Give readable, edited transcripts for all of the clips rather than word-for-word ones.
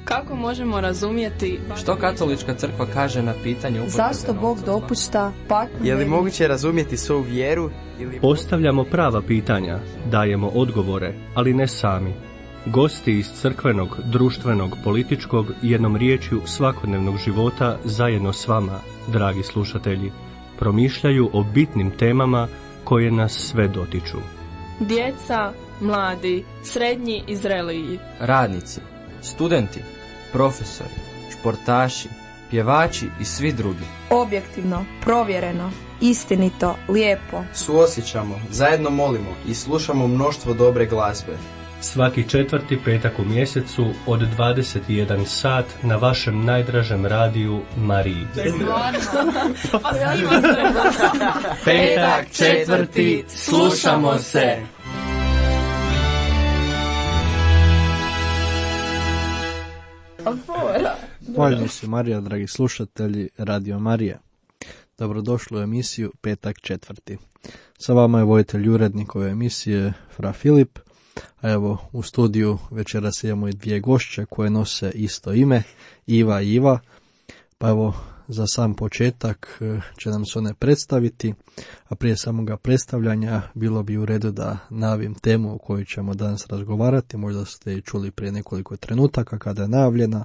Kako možemo razumjeti što katolička crkva kaže na pitanje upotrebe zašto Bog dopušta patnju? Je li moguće razumjeti svoju vjeru? Postavljamo prava pitanja, dajemo odgovore, ali ne sami. Gosti iz crkvenog, društvenog, političkog, jednom riječju svakodnevnog života zajedno s vama, dragi slušatelji, promišljaju o bitnim temama koje nas sve dotiču. djeca, mladi, srednji i zreliji, radnici, studenti, profesori, športaši, pjevači i svi drugi. Objektivno, provjereno, istinito, lijepo. Suosjećamo, zajedno molimo i slušamo mnoštvo dobre glazbe. Svaki 4. petak u mjesecu od 21 sat na vašem najdražem radiju Mariji. Petak 4. slušamo se. Hvaljeni se Marija, dragi slušatelji Radio Marije. Dobrodošli u emisiju Petak 4. Sa vama je voditelj i urednik ove emisije, Fra Filip. A evo, u studiju večeras imamo i dvije gošće koje nose isto ime, Iva i Iva. Pa evo, za sam početak će nam se one predstaviti, a prije samoga predstavljanja bilo bi u redu da najavim temu o kojoj ćemo danas razgovarati. Možda ste i čuli prije nekoliko trenutaka kada je najavljena,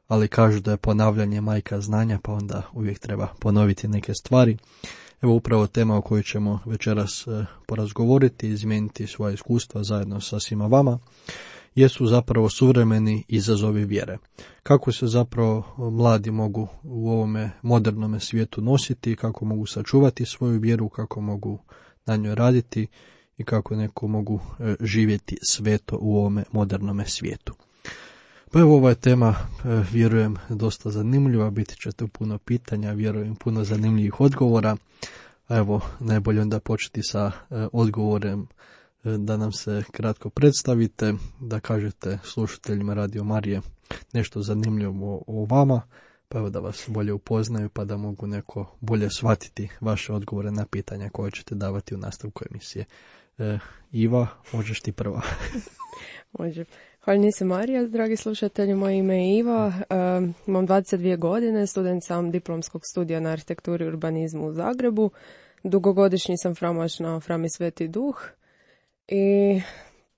ali kažu da je ponavljanje majka znanja, pa onda uvijek treba ponoviti neke stvari. Evo upravo tema o kojoj ćemo večeras porazgovoriti i izmijeniti svoja iskustva zajedno sa svima vama, jesu zapravo suvremeni izazovi vjere. Kako se zapravo mladi mogu u ovome modernome svijetu nositi, kako mogu sačuvati svoju vjeru, kako mogu na njoj raditi i kako neko mogu živjeti sveto u ovome modernome svijetu. Pa evo, ova je tema, vjerujem, dosta zanimljiva, biti će tu puno pitanja, vjerujem puno zanimljivih odgovora. A evo, najbolje onda početi sa odgovorem da nam se kratko predstavite, da kažete slušateljima Radio Marije nešto zanimljivo o vama, pa evo da vas bolje upoznaju, pa da mogu neko bolje shvatiti vaše odgovore na pitanja koje ćete davati u nastavku emisije. Iva, možeš ti prva. Može. Hvala se Marija, dragi slušatelji, moje ime je Iva, imam 22 godine, student sam diplomskog studija na arhitekturi i urbanizmu u Zagrebu, dugogodišnji sam framaš na Frami Sveti Duh i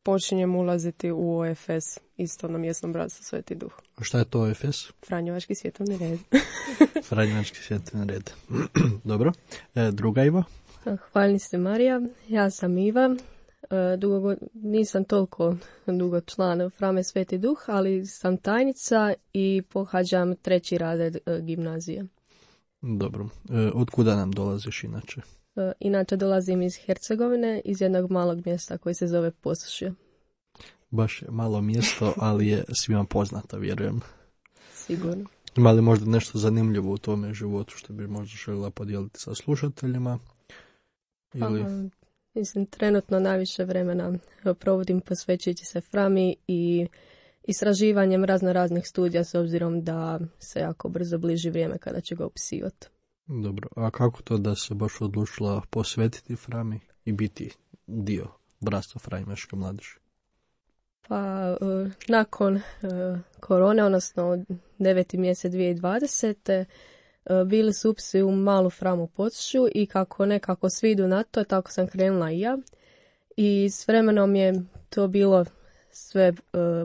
počinjem ulaziti u OFS, isto na mjesnom bratstvu Sveti Duh. A šta je to OFS? Franjevački svjetovni red. Franjevački svjetovni red. Dobro. Druga Iva? Hvala se Marija, ja sam Iva. Nisam toliko dugo član Frame Sveti Duh, ali sam tajnica i pohađam 3. razred gimnazije. Dobro. Otkuda nam dolaziš inače? Inače dolazim iz Hercegovine, iz jednog malog mjesta koji se zove Posušje. Baš je malo mjesto, ali je svima poznato, vjerujem. Sigurno. Ima li možda nešto zanimljivo u tome životu što bi možda željela podijeliti sa slušateljima? Ili... Mislim, trenutno najviše vremena provodim posvećujući se Frami i istraživanjem raznih studija, s obzirom da se jako brzo bliži vrijeme kada će ga upisivati. Dobro, a kako to da se baš odlučila posvetiti Frami i biti dio bratstva Franjevačke mladeži? Pa, nakon korone, odnosno 9. mjesec 2020. Bili su upisi u malu Framu Posušju i kako nekako svi idu na to, tako sam krenula i ja. I s vremenom je to bilo sve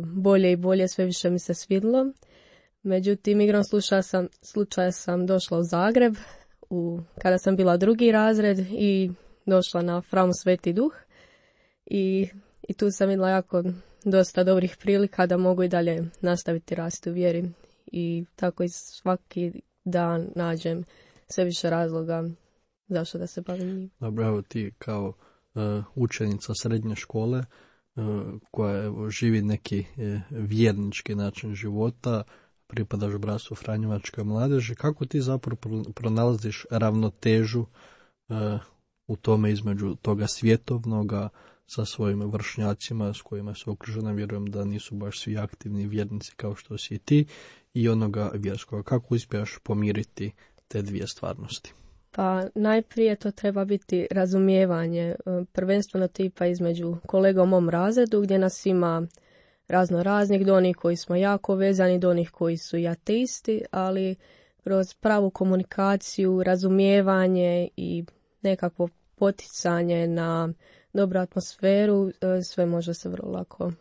bolje i bolje, sve više mi se svidilo. Međutim, igrom slučaja sam došla u Zagreb kada sam bila 2. razred i došla na Framu Sveti Duh. I tu sam vidjela jako dosta dobrih prilika da mogu i dalje nastaviti rasti u vjeri. I tako i svaki dan nađem sve više razloga zašto da se bavim njim. Dobro, evo ti kao učenica srednje škole koja evo, živi neki vjernički način života, pripadaš bratstvu Franjevačke mladeži, kako ti zapravo pronalaziš ravnotežu u tome između toga svjetovnoga sa svojim vršnjacima s kojima se okružena, vjerujem da nisu baš svi aktivni vjernici kao što si i ti, i onoga vjerskoga. Kako uspiješ pomiriti te dvije stvarnosti? Pa najprije to treba biti razumijevanje, prvenstveno tipa između kolega u mom razredu gdje nas ima razno raznih, do onih koji smo jako vezani, do onih koji su i ateisti, ali kroz pravu komunikaciju, razumijevanje i nekakvo poticanje na dobru atmosferu, sve može se vrlo lako.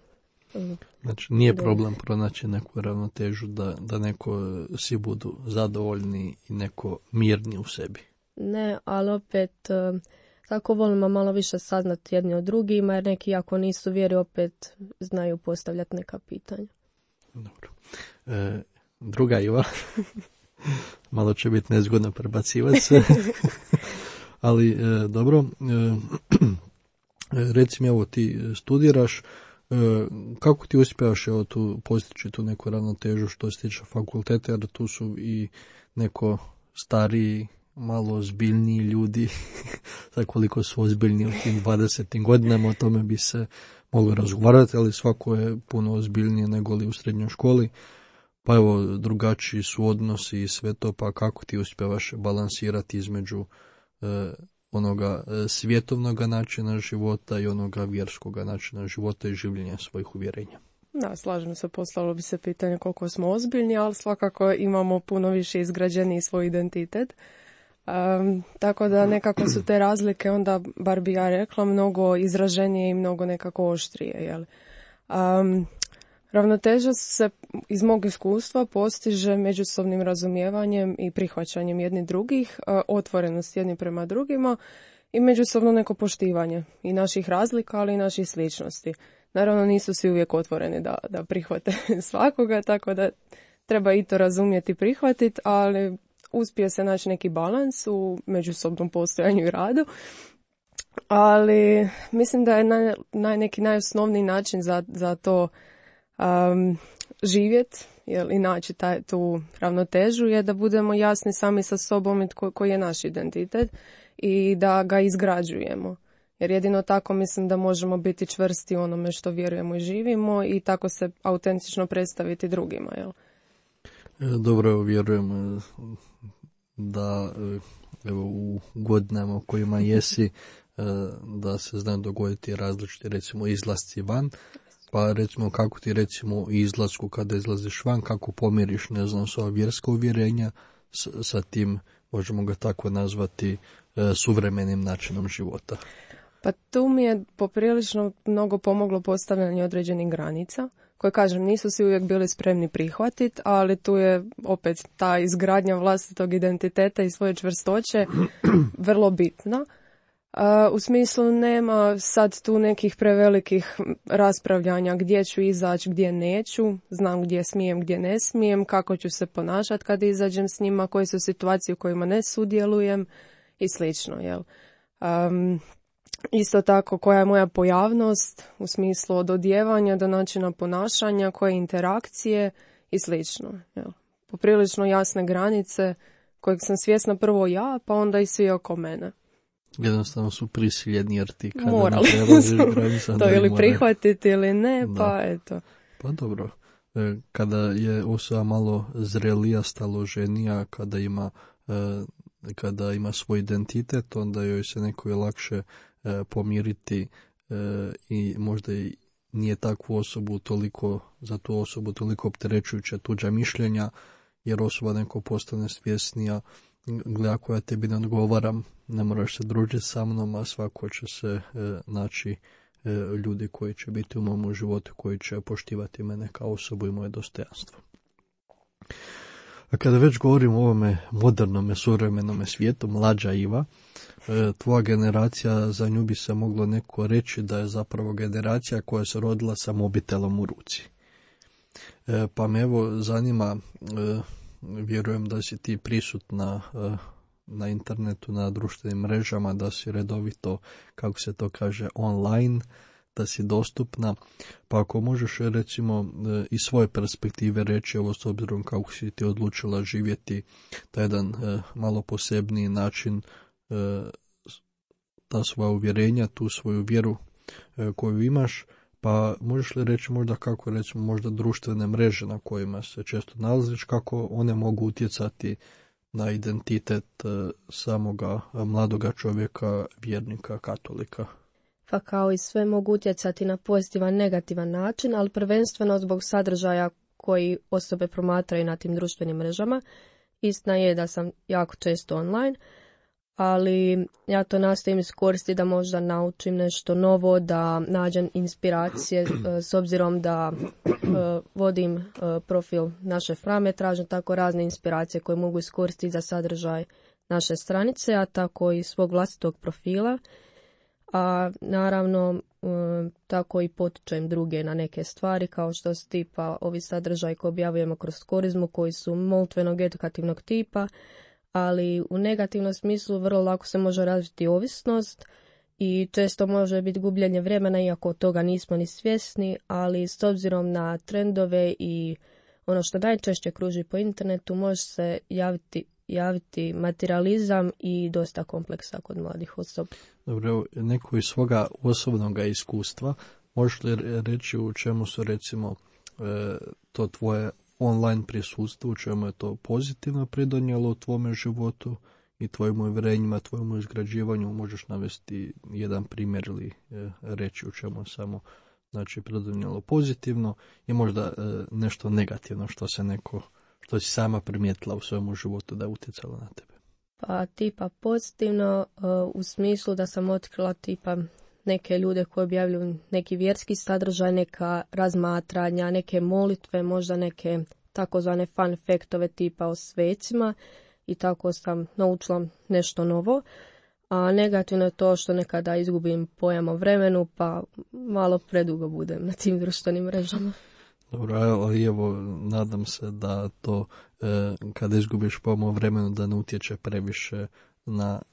Znači, nije problem pronaći neku ravnotežu da neko svi budu zadovoljni i neko mirni u sebi. Ne, ali opet tako volimo malo više saznati jedni od drugima, jer neki ako nisu vjeri opet znaju postavljati neka pitanja. Dobro. Druga Iva, malo će biti nezgodno prebacivati se, ali dobro, reci mi, evo ti studiraš, kako ti uspjevaš tu postići tu neku ravnotežu što se tiče fakulteta, jer tu su i neko stariji, malo ozbiljniji ljudi, za koliko su ozbiljni u tim 20. godinama, o tome bi se moglo razgovarati, ali svako je puno ozbiljnije nego li u srednjoj školi, pa evo, drugačiji su odnosi i sve to, pa kako ti uspjevaš balansirati između onoga svjetovnog načina života i onoga vjerskog načina života i življenja svojih uvjerenja. Da, slažem se, poslalo bi se pitanje koliko smo ozbiljni, ali svakako imamo puno više izgrađeni svoj identitet. Tako da nekako su te razlike, onda, bar bi ja rekla, mnogo izraženije i mnogo nekako oštrije. Jel? Ravnoteža se iz mog iskustva postiže međusobnim razumijevanjem i prihvaćanjem jedni drugih, otvorenost jedni prema drugima i međusobno neko poštivanje i naših razlika, ali i naših sličnosti. Naravno, nisu svi uvijek otvoreni da prihvate svakoga, tako da treba i to razumjeti i prihvatiti, ali uspije se naći neki balans u međusobnom postojanju i radu. Ali mislim da je neki najosnovniji način za to živjeti i naći tu ravnotežu je da budemo jasni sami sa sobom i koji je naš identitet i da ga izgrađujemo. Jer jedino tako mislim da možemo biti čvrsti u onome što vjerujemo i živimo i tako se autentično predstaviti drugima. Jel? Dobro, vjerujem da evo, u godinama u kojima jesi da se znaju dogoditi različiti recimo izlasci van. Pa recimo kako ti recimo izlasku kada izlaziš van, kako pomiriš, ne znam, sva vjerska uvjerenja sa tim, možemo ga tako nazvati, suvremenim načinom života. Pa tu mi je poprilično mnogo pomoglo postavljanje određenih granica, koje, kažem, nisu svi uvijek bili spremni prihvatiti, ali tu je opet ta izgradnja vlastitog identiteta i svoje čvrstoće vrlo bitna. U smislu nema sad tu nekih prevelikih raspravljanja gdje ću izaći, gdje neću, znam gdje smijem, gdje ne smijem, kako ću se ponašati kad izađem s njima, koje su situacije u kojima ne sudjelujem i slično. Jel? Isto tako, koja je moja pojavnost u smislu od odjevanja do načina ponašanja, koje interakcije i slično. Jel? Poprilično jasne granice kojeg sam svjesna prvo ja, pa onda i svi oko mene. Jednostavno su prisiljeni jer ti kada morali to ili prihvatiti ili ne, da. Pa eto. Pa dobro, kada je osoba malo zrelija, staloženija, kada ima svoj identitet, onda joj se neko je lakše pomiriti i možda i nije takvu osobu za tu osobu toliko opterećujuća tuđa mišljenja, jer osoba neko postane svjesnija, gleda koja tebi ne odgovaram, ne moraš se družiti sa mnom, a svako će se naći ljudi koji će biti u mom životu, koji će poštivati mene kao osobu i moje dostojanstvo. A kada već govorim o ovome modernome, suvremenome svijetu, mlađa Iva, tvoja generacija, za nju bi se moglo neko reći da je zapravo generacija koja se rodila sa mobitelom u ruci. Pa me evo zanima, vjerujem da si ti prisutna na internetu, na društvenim mrežama, da si redovito, kako se to kaže, online, da si dostupna, pa ako možeš recimo iz svoje perspektive reći, ovo s obzirom kako si ti odlučila živjeti taj jedan malo posebniji način, ta svoja uvjerenja, tu svoju vjeru koju imaš, pa možeš li reći možda kako recimo možda društvene mreže na kojima se često nalaziš, kako one mogu utjecati na identitet samoga mladoga čovjeka, vjernika, katolika? Pa kao i sve mogu utjecati na pozitivan, negativan način, ali prvenstveno zbog sadržaja koji osobe promatraju na tim društvenim mrežama. Istina je da sam jako često online, ali ja to nastojim iskoristiti da možda naučim nešto novo, da nađem inspiracije s obzirom da vodim profil naše Frame, tražim tako razne inspiracije koje mogu iskoristiti za sadržaj naše stranice, a tako i svog vlastitog profila. A naravno tako i potičem druge na neke stvari kao što su tipa ovi sadržaj koje objavljujemo kroz Korizmu koji su molitvenog edukativnog tipa, ali u negativnom smislu vrlo lako se može razviti ovisnost i često može biti gubljenje vremena iako toga nismo ni svjesni, ali s obzirom na trendove i ono što najčešće kruži po internetu može se javiti materializam i dosta kompleksa kod mladih osoba. Dobro, neko iz svoga osobnog iskustva, možeš li reći u čemu su recimo to tvoje online prisustvo, u čemu je to pozitivno pridonijelo u tvome životu i tvojim uvjerenjima, tvojemu izgrađivanju? Možeš navesti jedan primjer ili reći u čemu samo znači pridonijelo pozitivno i možda nešto negativno što si sama primijetila u svojemu životu da je utjecalo na tebe. Pa tipa pozitivno u smislu da sam otkrila tipa neke ljude koji objavljuju neki vjerski sadržaj, neka razmatranja, neke molitve, možda neke takozvane fun faktove tipa o svecima i tako sam naučila nešto novo. A negativno je to što nekada izgubim pojam o vremenu pa malo predugo budem na tim društvenim mrežama. Dobro, ali evo, nadam se da to kada izgubiš pojam o vremenu da ne utječe previše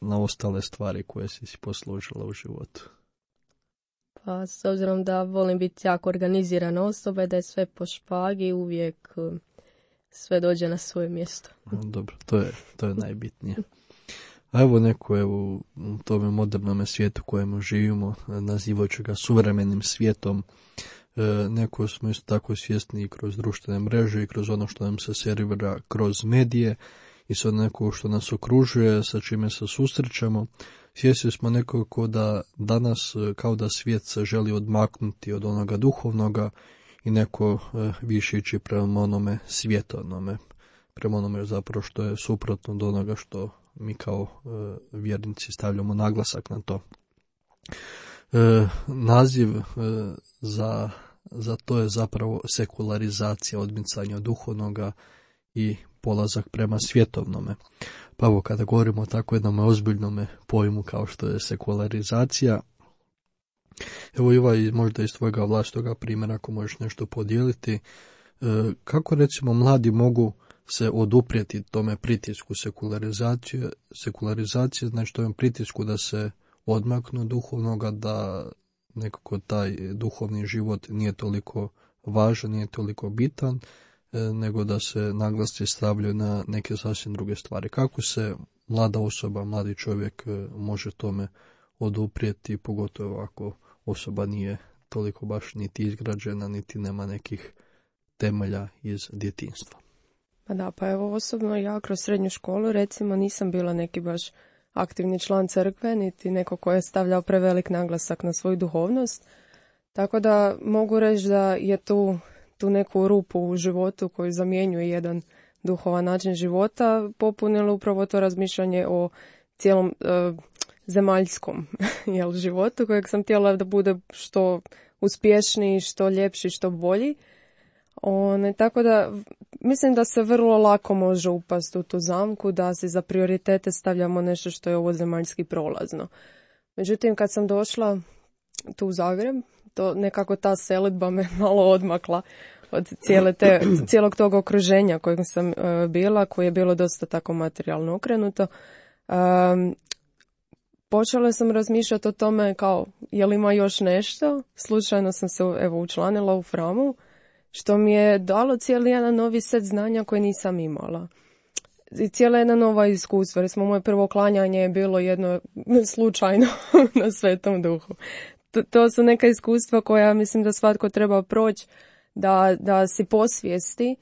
na ostale stvari koje si poslužila u životu. Pa s obzirom da volim biti jako organizirana osoba i da je sve po špagi, uvijek sve dođe na svoje mjesto. Dobro, to je najbitnije. A evo neko u tome modernom svijetu kojemu živimo, nazivajući ga suvremenim svijetom, neko smo isto tako svjesni i kroz društvene mreže i kroz ono što nam se servira kroz medije i sad neko što nas okružuje, sa čime se susrećemo. Svjesni smo nekako da danas kao da svijet se želi odmaknuti od onoga duhovnoga i neko više ići prema onome svjetovnome, prema onome zapravo što je suprotno od onoga što mi kao vjernici stavljamo naglasak na to. Naziv za to je zapravo sekularizacija, odmicanje od duhovnoga i polazak prema svjetovnome. Pa evo, kada govorimo o tako jednom ozbiljnom pojmu kao što je sekularizacija, evo Iva, možda iz tvojega vlastitoga primjera ako možeš nešto podijeliti, kako recimo mladi mogu se oduprijeti tome pritisku sekularizacije, znači tome pritisku da se odmaknu duhovnoga, da nekako taj duhovni život nije toliko važan, nije toliko bitan, nego da se naglasci stavljaju na neke sasvim druge stvari. Kako se mlada osoba, mladi čovjek može tome oduprijeti, pogotovo ako osoba nije toliko baš niti izgrađena, niti nema nekih temelja iz djetinjstva? Pa da, pa evo osobno ja kroz srednju školu recimo nisam bila neki baš aktivni član crkve, niti neko ko je stavljao prevelik naglasak na svoju duhovnost. Tako da mogu reći da je tu neku rupu u životu koju zamjenjuje jedan duhovan način života popunilo upravo to razmišljanje o cijelom zemaljskom životu kojeg sam htjela da bude što uspješniji, što ljepši, što bolji. Tako da mislim da se vrlo lako može upasti u tu zamku da se za prioritete stavljamo nešto što je ovo zemaljski prolazno. Međutim, kad sam došla tu u Zagreb, to nekako ta selidba me malo odmakla od cijelog tog okruženja kojeg sam bila, koje je bilo dosta tako materijalno okrenuto. Počela sam razmišljati o tome kao, je li ima još nešto? Slučajno sam se učlanila u Framu, što mi je dalo cijeli jedan novi set znanja koje nisam imala. I cijela jedna nova iskustva. Recimo, moje prvo klanjanje je bilo jedno slučajno na Svetom Duhu. To su neka iskustva koja mislim da svatko treba proći da si posvijesti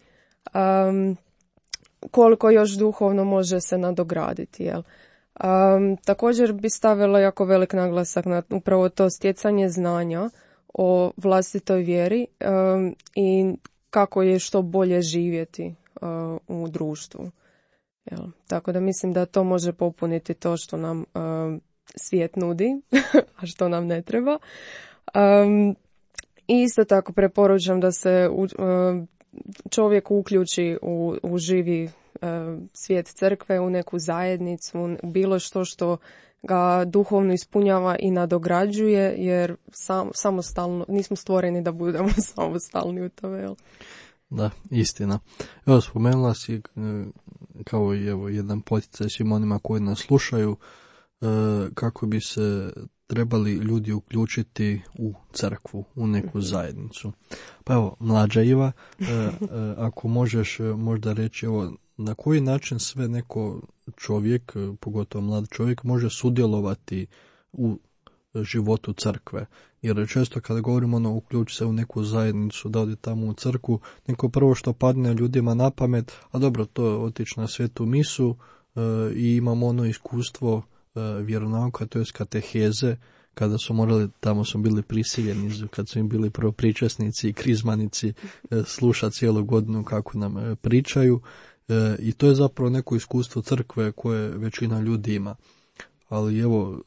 koliko još duhovno može se nadograditi. Jel? Također bi stavila jako velik naglasak na upravo to stjecanje znanja o vlastitoj vjeri i kako je što bolje živjeti u društvu. Tako da mislim da to može popuniti to što nam svijet nudi, a što nam ne treba. I isto tako preporučam da se čovjek uključi u živi svijet crkve, u neku zajednicu, bilo što ga duhovno ispunjava i nadograđuje, jer samostalno, nismo stvoreni da budemo samostalni u tome. Jel? Da, istina. Evo, spomenula si kao i jedan poticaj svim onima koji nas slušaju, kako bi se trebali ljudi uključiti u crkvu, u neku zajednicu. Pa evo, mlađa Iva, ako možeš možda reći, evo, na koji način sve neko čovjek, pogotovo mlad čovjek, može sudjelovati u životu crkve. Jer često kada govorimo uključi se u neku zajednicu, da odi tamo u crkvu, neko prvo što padne ljudima na pamet, a dobro, to je otići na svetu misu i imamo ono iskustvo vjeronauka, to je kateheze, kada su morali, tamo su bili prisiljeni, kad su im bili prvo pričasnici i krizmanici, slušati cijelu godinu kako nam pričaju, i to je zapravo neko iskustvo crkve koje većina ljudi ima. Ali evo,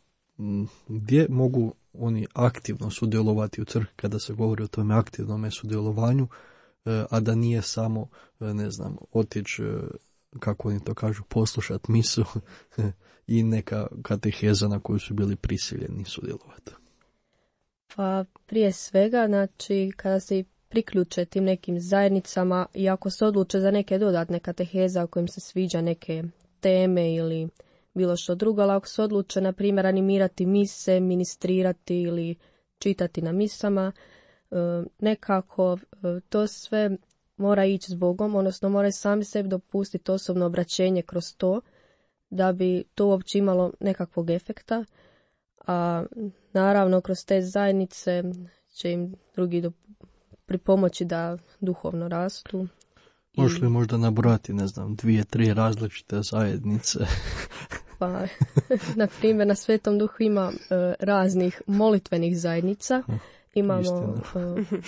gdje mogu oni aktivno sudjelovati u crkvi kada se govori o tome aktivnom sudjelovanju, a da nije samo, ne znam, otići, kako oni to kažu, poslušati misu i neka kateheza na koju su bili prisiljeni sudjelovati? Pa prije svega, znači, kada se priključe tim nekim zajednicama i ako se odluče za neke dodatne kateheze u kojim se sviđa neke teme ili bilo što drugo, ali ako se odluče, na primjer, animirati mise, ministrirati ili čitati na misama, nekako to sve mora ići s Bogom, odnosno moraju sami sebi dopustiti osobno obraćenje kroz to, da bi to uopće imalo nekakvog efekta, a naravno kroz te zajednice će im drugi pripomoći da duhovno rastu. Možeš li možda nabrojati, ne znam, 2-3 različite zajednice? Pa, na primjer, na Svetom Duhu ima raznih molitvenih zajednica. Imamo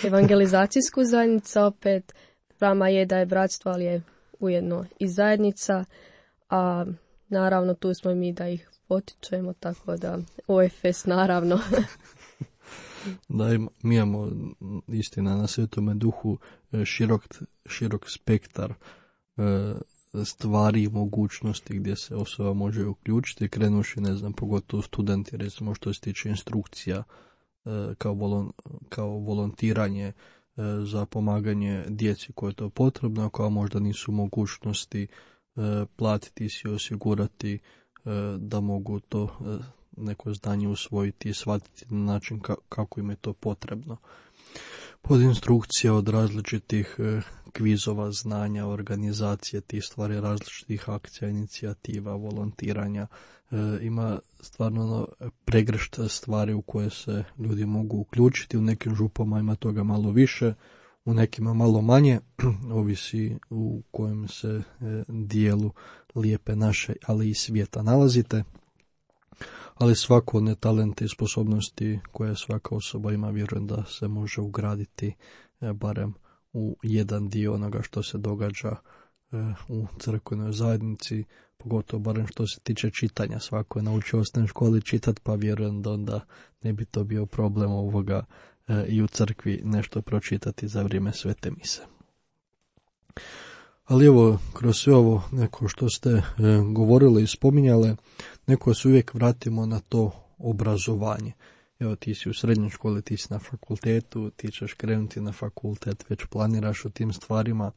evangelizacijsku zajednicu, opet Prama je da je bratstvo, ali je ujedno i zajednica, a naravno tu smo i mi da ih potičemo, tako da OFS naravno. Da, mi imamo, istina, na Svetome Duhu širok spektar stvari i mogućnosti gdje se osoba može uključiti, krenuši, ne znam, pogotovo studenti, recimo što se tiče instrukcija kao volontiranje za pomaganje djeci koje je to potrebno, koja možda nisu mogućnosti platiti si, osigurati da mogu to neko znanje usvojiti i shvatiti na način kako im je to potrebno. Pod instrukcija od različitih kvizova, znanja, organizacije, tih stvari, različitih akcija, inicijativa, volontiranja. Ima stvarno pregršt stvari u koje se ljudi mogu uključiti. U nekim župama ima toga malo više, u nekima malo manje, ovisi u kojem se dijelu lijepe naše, ali i svijeta nalazite. Ali svako one talente i sposobnosti koje svaka osoba ima, vjerujem da se može ugraditi barem u jedan dio onoga što se događa u crkvenoj zajednici, pogotovo barem što se tiče čitanja. Svako je naučio u osnovnoj školi čitati, pa vjerujem da onda ne bi to bio problem ovoga i u crkvi nešto pročitati za vrijeme svete mise. Ali evo, kroz sve ovo neko što ste govorili i spominjale, neko se uvijek vratimo na to obrazovanje. Evo, ti si u srednjoj školi, ti si na fakultetu, ti ćeš krenuti na fakultet, već planiraš o tim stvarima.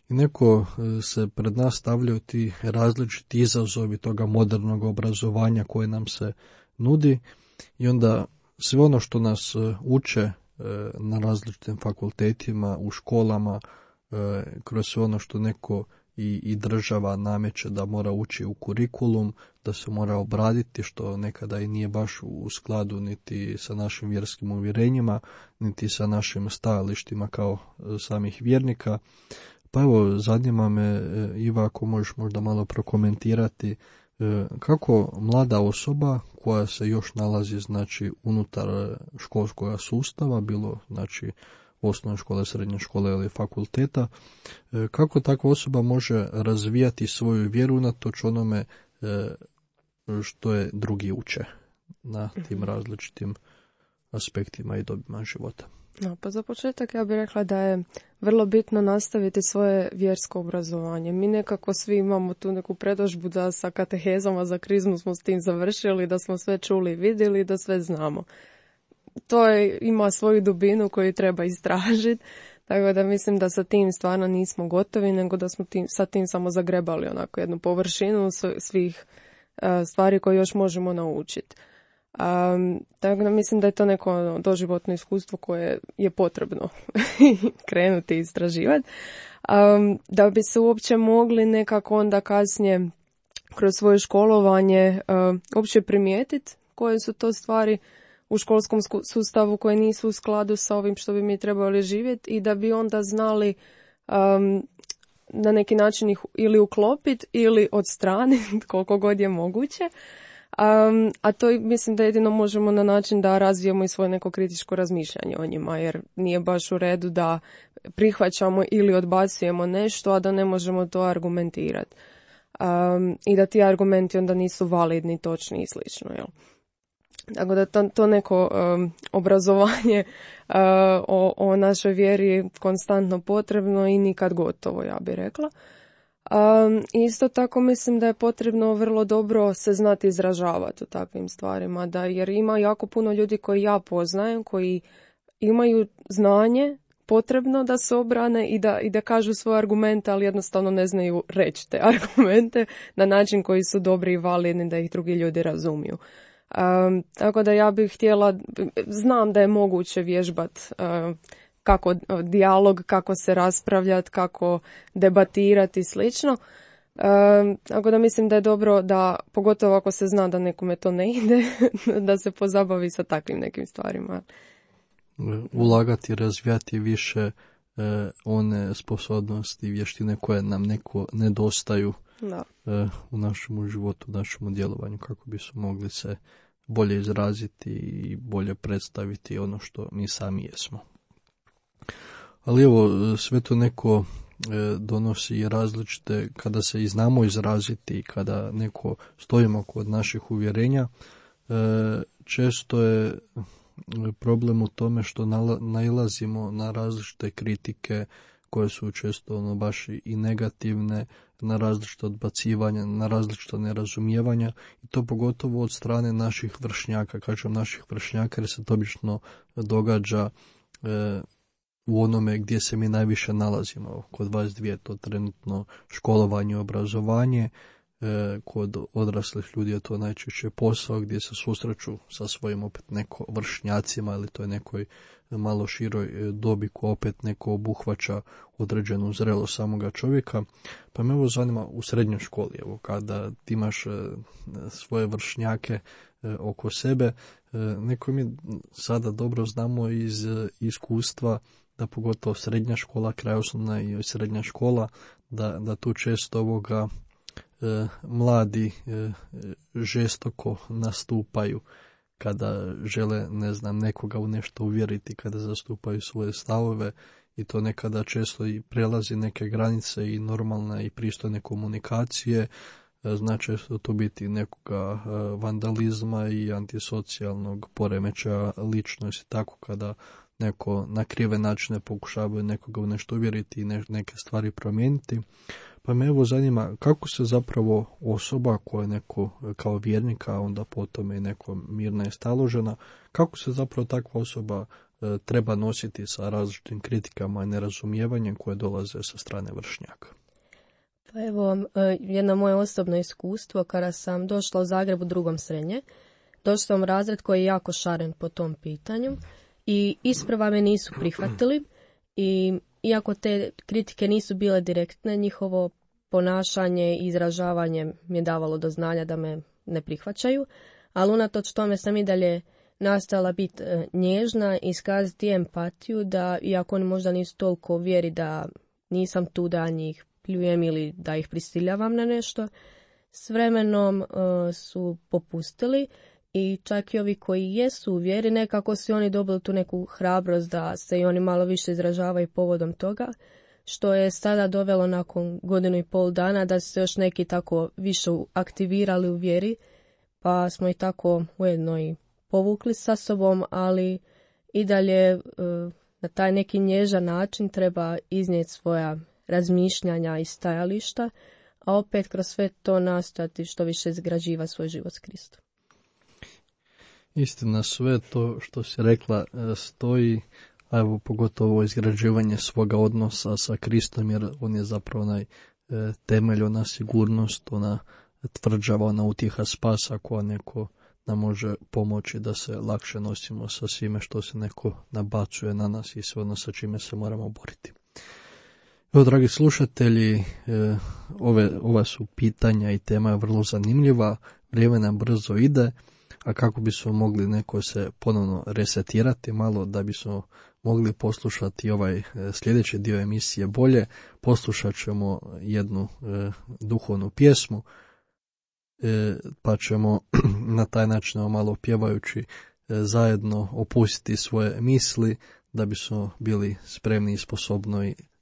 I neko se pred nas stavljaju ti različiti izazovi toga modernog obrazovanja koje nam se nudi i onda sve ono što nas uče na različitim fakultetima, u školama, kroz sve ono što neko i država nameće da mora ući u kurikulum, da se mora obraditi, što nekada i nije baš u skladu niti sa našim vjerskim uvjerenjima, niti sa našim stajalištima kao samih vjernika. Pa evo, zanima me, Iva, ako možeš možda malo prokomentirati Kako mlada osoba koja se još nalazi znači unutar školskog sustava, bilo znači osnovne škole, srednje škole ili fakulteta, kako takva osoba može razvijati svoju vjeru unatoč onome što je drugi uče na tim različitim aspektima i dobima života? No, pa za početak ja bih rekla da je vrlo bitno nastaviti svoje vjersko obrazovanje. Mi nekako svi imamo tu neku predodžbu da sa katehezama za krizmu smo s tim završili, da smo sve čuli i vidjeli, da sve znamo. To ima svoju dubinu koju treba istražiti, tako da mislim da sa tim stvarno nismo gotovi, nego da smo sa tim samo zagrebali onako jednu površinu svih stvari koje još možemo naučiti. Tako da mislim da je to neko doživotno iskustvo koje je potrebno krenuti istraživati. Da bi se uopće mogli nekako onda kasnije kroz svoje školovanje uopće primijetiti koje su to stvari u školskom sustavu koje nisu u skladu sa ovim što bi mi trebali živjeti i da bi onda znali na neki način ih ili uklopiti ili odstraniti koliko god je moguće. A to mislim da jedino možemo na način da razvijemo i svoje neko kritičko razmišljanje o njima, jer nije baš u redu da prihvaćamo ili odbacujemo nešto, a da ne možemo to argumentirati. I da ti argumenti onda nisu validni, točni i slično, jel? Tako da to neko obrazovanje o našoj vjeri je konstantno potrebno i nikad gotovo, ja bih rekla. Isto tako mislim da je potrebno vrlo dobro se znati izražavati u takvim stvarima, jer ima jako puno ljudi koji ja poznajem, koji imaju znanje potrebno da se obrane i da kažu svoje argumente, ali jednostavno ne znaju reći te argumente na način koji su dobri i validni da ih drugi ljudi razumiju. Tako da ja bih htjela, znam da je moguće vježbati kako dijalog, kako se raspravljati, kako debatirati i slično. Tako da mislim da je dobro da, pogotovo ako se zna da nekome to ne ide, da se pozabavi sa takvim nekim stvarima. Ulagati i razvijati više one sposobnosti i vještine koje nam neko nedostaju u našem životu, u našem djelovanju, kako bi su mogli se bolje izraziti i bolje predstaviti ono što mi sami jesmo. Ali evo, sve to neko donosi različite, kada se i znamo izraziti, kada neko stojimo kod naših uvjerenja, često je problem u tome što nailazimo na različite kritike koje su često baš i negativne, na različite odbacivanja, na različite nerazumijevanja i to pogotovo od strane naših vršnjaka. Kažem naših vršnjaka jer se to obično događa u onome gdje se mi najviše nalazimo. Kod vas dvije je to trenutno školovanje i obrazovanje, kod odraslih ljudi je to najčešće posao gdje se susreću sa svojim opet neko vršnjacima ili to je nekoj malo široj dobi koja opet neko obuhvaća određenu zrelost samoga čovjeka. Pa me ovo zanima u srednjoj školi, evo, kada ti imaš svoje vršnjake oko sebe, neko mi sada dobro znamo iz iskustva da pogotovo srednja škola, kraj osnovna i srednja škola, da tu često mladi žestoko nastupaju kada žele, nekoga u nešto uvjeriti, kada zastupaju svoje stavove i to nekada često i prelazi neke granice i normalne i pristojne komunikacije, znači to biti nekoga vandalizma i antisocijalnog poremećaja ličnosti, tako kada neko na krive načine pokušavaju nekoga u nešto uvjeriti i neke stvari promijeniti. Pa me evo zanima kako se zapravo osoba koja je neko kao vjernik, a onda potom i neko mirna i staložena, kako se zapravo takva osoba treba nositi sa različitim kritikama i nerazumijevanjem koje dolaze sa strane vršnjaka? Pa evo, jedno moje osobno iskustvo, kada sam došla u Zagreb u drugom srednje, došla sam u razred koji je jako šaren po tom pitanju i isprva me nisu prihvatili i iako te kritike nisu bile direktne, njihovo ponašanje i izražavanje mi je davalo do znanja da me ne prihvaćaju, ali unatoč tome sam i dalje nastojala biti nježna i iskazati empatiju da, iako oni možda nisu toliko uvjeri da nisam tu da njih pljujem ili da ih prisiljavam na nešto, s vremenom su popustili i čak i ovi koji jesu u vjeri, nekako su oni dobili tu neku hrabrost da se i oni malo više izražavaju povodom toga, što je sada dovelo nakon 1,5 dana da su se još neki tako više aktivirali u vjeri, pa smo i tako ujedno i povukli sa sobom, ali i dalje na taj neki nježan način treba iznijeti svoja razmišljanja i stajališta, a opet kroz sve to nastojati što više izgrađiva svoj život s Kristom. Istina, sve to što si rekla stoji, a evo pogotovo izgrađivanje svoga odnosa sa Kristom, jer on je zapravo onaj temelj, ona sigurnost, ona tvrđava, ona utjeha spasa koja neko nam može pomoći da se lakše nosimo sa svime što se neko nabacuje na nas i sve ono sa čime se moramo boriti. Evo, dragi slušatelji, ova su pitanja i tema je vrlo zanimljiva, vrijeme nam brzo ide, a kako bismo mogli neko se ponovno resetirati malo da bismo mogli poslušati ovaj sljedeći dio emisije bolje, poslušat ćemo jednu duhovnu pjesmu, pa ćemo na taj način malo pjevajući zajedno opustiti svoje misli da bismo bili spremni i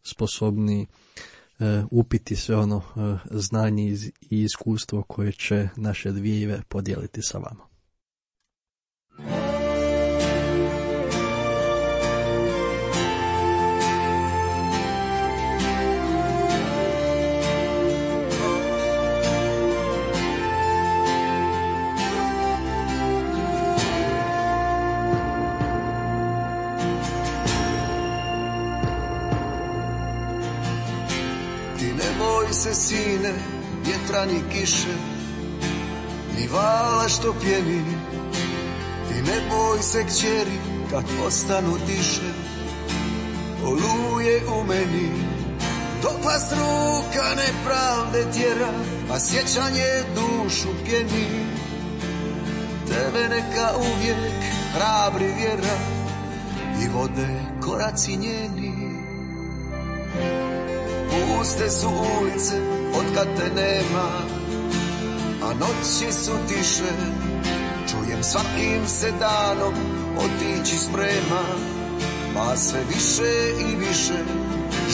sposobni upiti sve ono znanje i iskustvo koje će naše dvije podijeliti sa vama. Se sine, vjetra ni kiše, ni vala što pjeni. Ti ne boj se kćeri kad postanu tiše, oluje u meni. Dok vas ruka nepravde tjera, a sjećanje dušu pjeni. Tebe neka uvijek hrabri vjera i vode koraci njeni. Puste su ulice otkad te nema, a noći su tiše. Čujem svakim se danom otići sprema, ma sve više i više.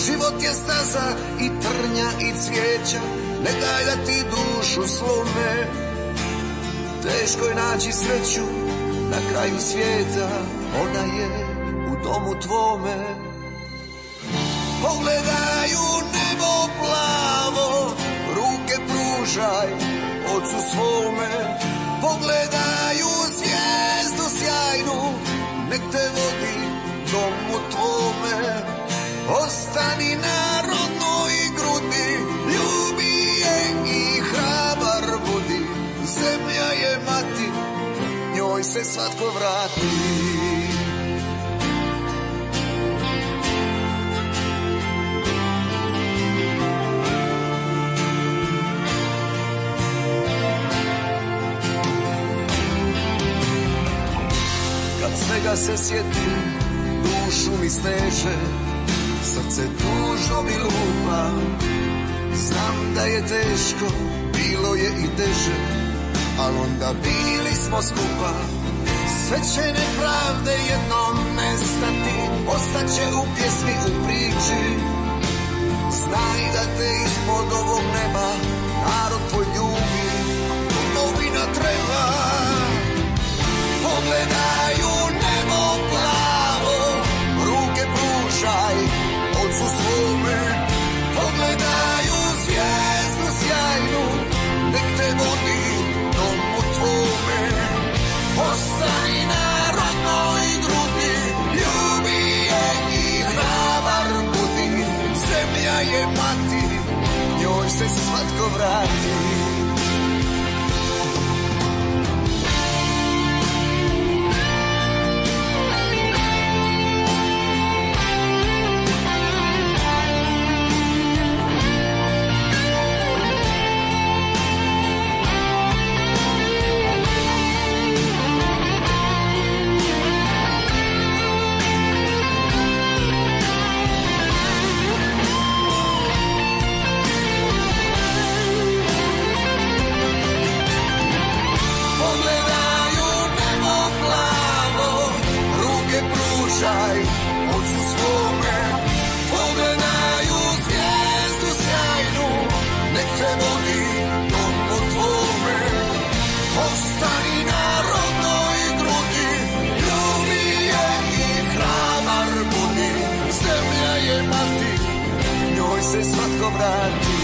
Život je staza i trnja i cvijeća, ne daj da ti dušu slome. Teško je naći sreću na kraju svijeta, ona je u domu tvome. Pogledaj u nebo plavo, ruke pružaj ocu svome. Pogledaj u zvijezdu sjajnu, nek te vodi domu tvome. Ostani na rodnoj grudi, ljubi je i hrabar budi. Zemlja je mati, njoj se svatko vrati. Svega se sjetim, dušu mi steže, srce tužno mi lupa. Znam da je teško, bilo je i teže, ali onda bili smo skupa. Sve će nepravde jednom nestati, ostaće u pjesmi, u priči. Znaj da te ispod ovog neba narod tvoj ljubi, domovina treba. Pogledaj u nebo plavo, ruke pružaj ocu svome. Pogledaj u zvijezdu sjajnu, nek te vodi domu tvome. Ostani na rodnoj grudi, ljubi je i hrabar budi. Zemlja je mati, njoj se svatko vrati. ostani na rodnoj grudi, ljubi je i hrabar budi, zemlja je mati, njoj se svatko vrati.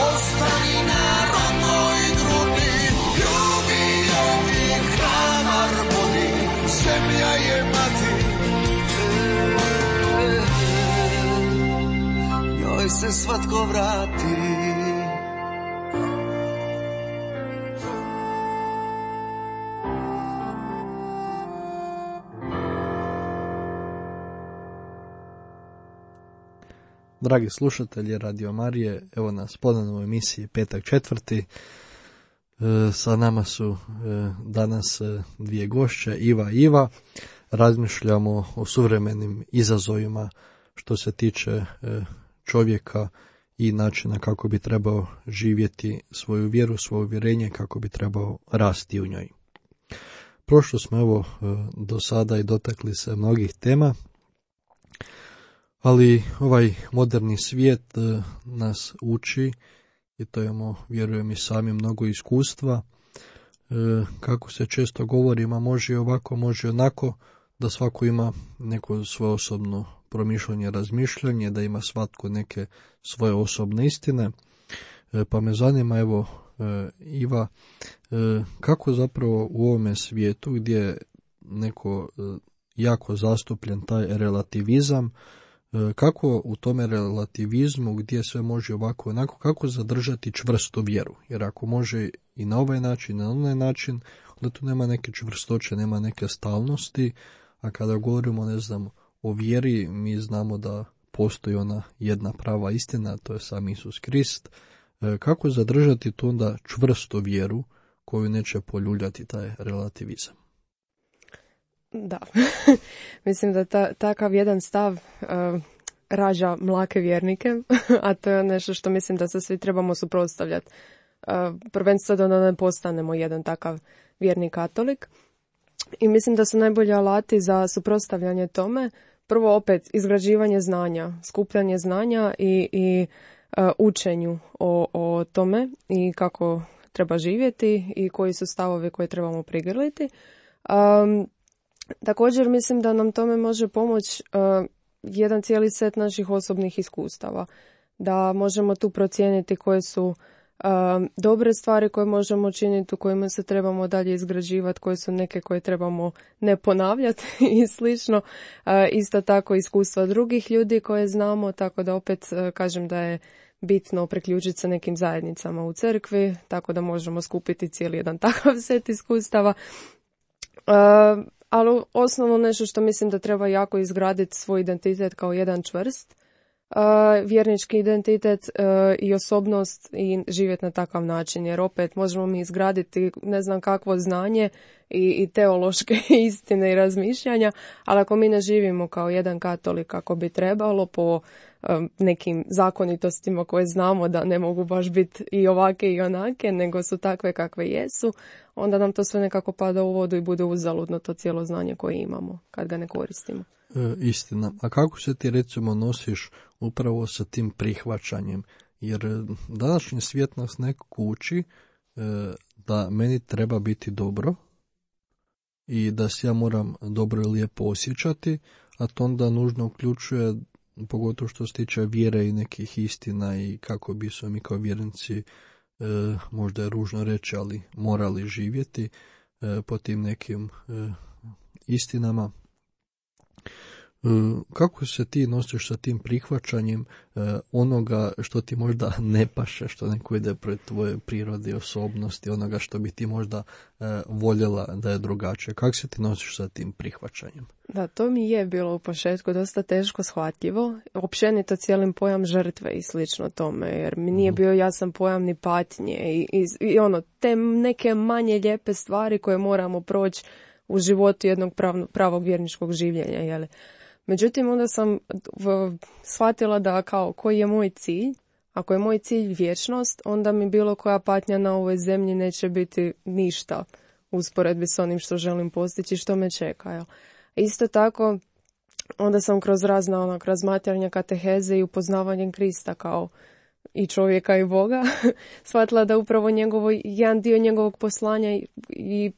Ostani na rodnoj grudi, ljubi je i hrabar budi, zemlja je mati, njoj se svatko vrati. Dragi slušatelji Radio Marije, evo nas ponovno u emisiji Petak četvrti. Sa nama su danas dvije gošće, Iva i Iva. Razmišljamo o suvremenim izazovima što se tiče čovjeka i načina kako bi trebao živjeti svoju vjeru, svoje uvjerenje, kako bi trebao rasti u njoj. Prošlo smo evo do sada i dotakli se mnogih tema, ali ovaj moderni svijet nas uči, i to imamo, vjerujem i sami, mnogo iskustva, kako se često govori, ma može ovako, može onako, da svako ima neko svoje osobno promišljanje, razmišljanje, da ima svatko neke svoje osobne istine. Pa me zanima, evo, Iva, kako zapravo u ovome svijetu gdje je neko jako zastupljen taj relativizam, kako u tome relativizmu gdje sve može ovako onako, kako zadržati čvrstu vjeru? Jer ako može i na ovaj način, na onaj način, onda tu nema neke čvrstoće, nema neke stalnosti, a kada govorimo, ne znam, o vjeri, mi znamo da postoji ona jedna prava istina, to je sam Isus Krist. Kako zadržati tu onda čvrstu vjeru koju neće poljuljati taj relativizam? Da, mislim da takav jedan stav rađa mlake vjernike, a to je nešto što mislim da se svi trebamo suprotstavljati. Prvenstveno da ne postanemo jedan takav vjerni katolik. I mislim da su najbolji alati za suprotstavljanje tome prvo opet izgrađivanje znanja, skupljanje znanja i učenju o tome i kako treba živjeti i koji su stavovi koje trebamo prigrliti. Također mislim da nam tome može pomoći jedan cijeli set naših osobnih iskustava. Da možemo tu procijeniti koje su dobre stvari koje možemo činiti, u kojima se trebamo dalje izgrađivati, koje su neke koje trebamo ne ponavljati i slično. Isto tako iskustva drugih ljudi koje znamo, tako da opet kažem da je bitno priključiti se nekim zajednicama u crkvi, tako da možemo skupiti cijeli jedan takav set iskustava. Ali osnovno nešto što mislim da treba jako izgraditi svoj identitet kao jedan čvrst vjernički identitet i osobnost i živjeti na takav način, jer opet možemo mi izgraditi ne znam kakvo znanje i teološke istine i razmišljanja, ali ako mi ne živimo kao jedan katolik kako bi trebalo po nekim zakonitostima koje znamo da ne mogu baš biti i ovake i onake, nego su takve kakve jesu, onda nam to sve nekako pada u vodu i bude uzaludno to cijelo znanje koje imamo kad ga ne koristimo. Istina. A kako se ti recimo nosiš upravo sa tim prihvaćanjem? Jer današnji svijet nas nekako uči da meni treba biti dobro i da se ja moram dobro i lijepo osjećati, a to onda nužno uključuje, pogotovo što se tiče vjere i nekih istina i kako bi su mi kao vjernici, možda je ružno reći, ali morali živjeti po tim nekim istinama. Kako se ti nosiš sa tim prihvaćanjem onoga što ti možda ne paše, što neko ide pred tvoje prirode i osobnosti, onoga što bi ti možda voljela da je drugačije? Kako se ti nosiš sa tim prihvaćanjem? Da, to mi je bilo u početku dosta teško shvatljivo. Općenito cijelim pojam žrtve i slično tome, jer mi nije bio jasan pojam ni patnje i ono, te neke manje lijepe stvari koje moramo proći u životu jednog pravog vjerničkog življenja, jel? Međutim, onda sam shvatila da kao koji je moj cilj. Ako je moj cilj vječnost, onda mi bilo koja patnja na ovoj zemlji neće biti ništa u usporedbi s onim što želim postići, što me čeka. Jel? Isto tako, onda sam kroz razna razmatranja kateheze i upoznavanjem Krista kao i čovjeka i Boga, shvatila da upravo jedan dio njegovog poslanja i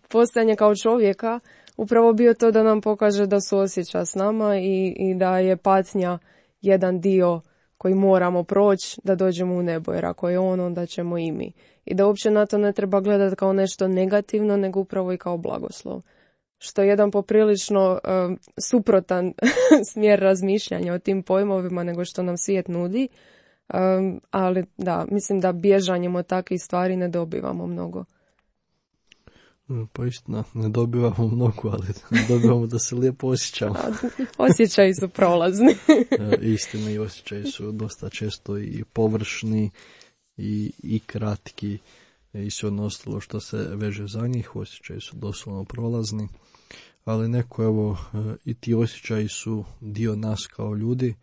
postojanje kao čovjeka upravo bio to da nam pokaže da suosjeća s nama i da je patnja jedan dio koji moramo proći da dođemo u nebo, jer ako je on, onda ćemo i mi. I da uopće na to ne treba gledati kao nešto negativno, nego upravo i kao blagoslov. Što je jedan poprilično suprotan smjer razmišljanja o tim pojmovima nego što nam svijet nudi. Ali da, mislim da bježanjem od takvih stvari ne dobivamo mnogo. Pa istina, ne dobivamo mnogo, ali dobivamo da se lijepo osjećamo. Osjećaji su prolazni. Istina, i osjećaji su dosta često i površni i kratki i sve ono ostalo što se veže za njih. Osjećaji su doslovno prolazni, ali neko, evo, i ti osjećaji su dio nas kao ljudi,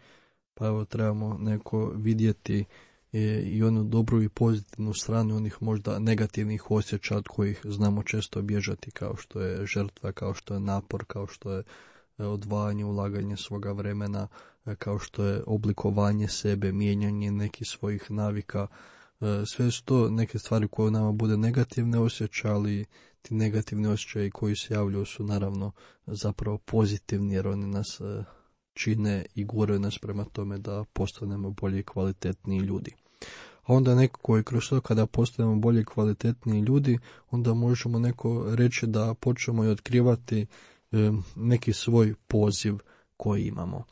pa evo trebamo neko vidjeti i onu dobru i pozitivnu stranu onih možda negativnih osjećaja od kojih znamo često bježati, kao što je žrtva, kao što je napor, kao što je odvajanje, ulaganje svoga vremena, kao što je oblikovanje sebe, mijenjanje nekih svojih navika. Sve su to neke stvari koje u nama bude negativne osjećaje, ali ti negativni osjećaji koji se javljaju su naravno zapravo pozitivni, jer oni nas čine i guraju nas prema tome da postanemo bolji i kvalitetniji ljudi. A onda neko koji kroz to kada postanemo bolji i kvalitetniji ljudi, onda možemo neko reći da počnemo i otkrivati neki svoj poziv koji imamo.